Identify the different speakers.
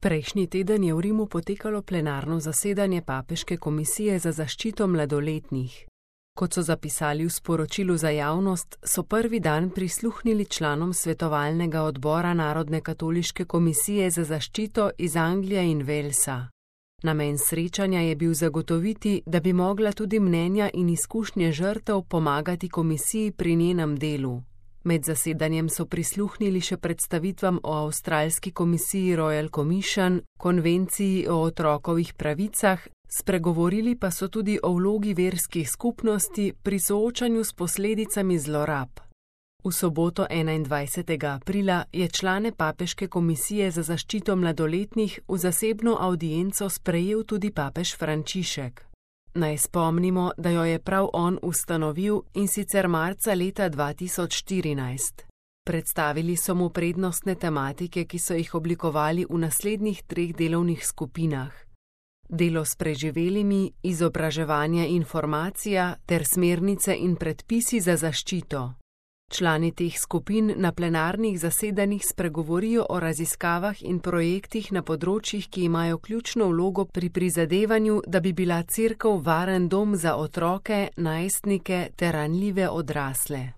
Speaker 1: Prejšnji teden je v Rimu potekalo plenarno zasedanje Papeške komisije za zaščito mladoletnih. Kot so zapisali v sporočilu za javnost, so prvi dan prisluhnili članom svetovalnega odbora Narodne katoliške komisije za zaščito iz Anglije in Walesa. Namen srečanja je bil zagotoviti, da bi mogla tudi mnenja in izkušnje žrtev pomagati komisiji pri njenem delu. Med zasedanjem so prisluhnili še predstavitvam o avstralski komisiji Royal Commission, konvenciji o otrokovih pravicah, spregovorili pa so tudi o vlogi verskih skupnosti pri soočanju s posledicami zlorab. V soboto 21. aprila je člane Papeške komisije za zaščito mladoletnih v zasebno avdienco sprejel tudi papež Frančišek. Naj spomnimo, da jo je prav on ustanovil, in sicer marca leta 2014. Predstavili so mu prednostne tematike, ki so jih oblikovali v naslednjih 3 delovnih skupinah: delo s preživelimi, izobraževanje, informacija ter smernice in predpisi za zaščito. Člani teh skupin na plenarnih zasedanjih spregovorijo o raziskavah in projektih na področjih, ki imajo ključno vlogo pri prizadevanju, da bi bila Cerkev varen dom za otroke, najstnike ter ranljive odrasle.